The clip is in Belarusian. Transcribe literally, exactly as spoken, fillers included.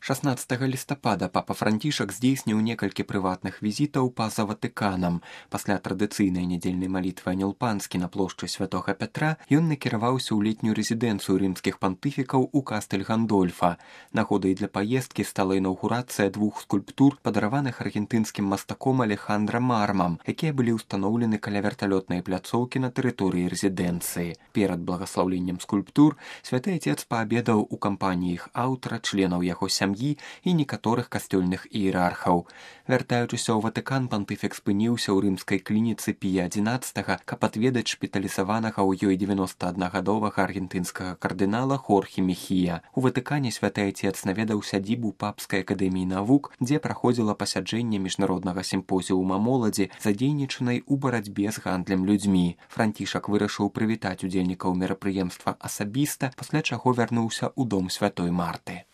шаснаццатага лістапада папа Францішак здзейсніў некалькі прыватных візітаў па-за Ватыканам. Пасля традыцыйнай нядзельнай малітвы Анёл Панскі на плошчы Святога Пятра ён накіраваўся ў летнюю рэзідэнцыю рымскіх пантыфікаў у Кастэль Гандольфа. Нагодай для паездкі стала інаўгурацыя двух скульптур, падараваных аргентынскім мастаком Алехандра Мармам, якія былі ўстаноўлены каля верталётнай пляцоўкі на тэрыторыі рэзідэнцыі. Перад благаслаўленнем скульптур святы Отец паабедаў у кампаніі іх аўтара, членаў яго сям'і і некаторых касцёльных іерархаў. Вяртаючыся ў Ватыкан, пантыфік спыніўся ў рымскай клініцы Пія адзінаццатага, каб адведаць шпіталізаванага ў ёй дзевяноста аднагадовага аргентынскага кардынала Хорхе Мехія. У Ватыкане святы Отец наведаў сядзібу папскай акадэміі навук, дзе праходзіла пасяджэнне міжнароднага сімпозіума моладзі, задзейнічанай у барацьбе з гандлем людзьмі. Францішак вырашыў прывітаць удзельнікаў мерапрыемства асабіста, пасля чаго вярнуўся ў дом святой Марты.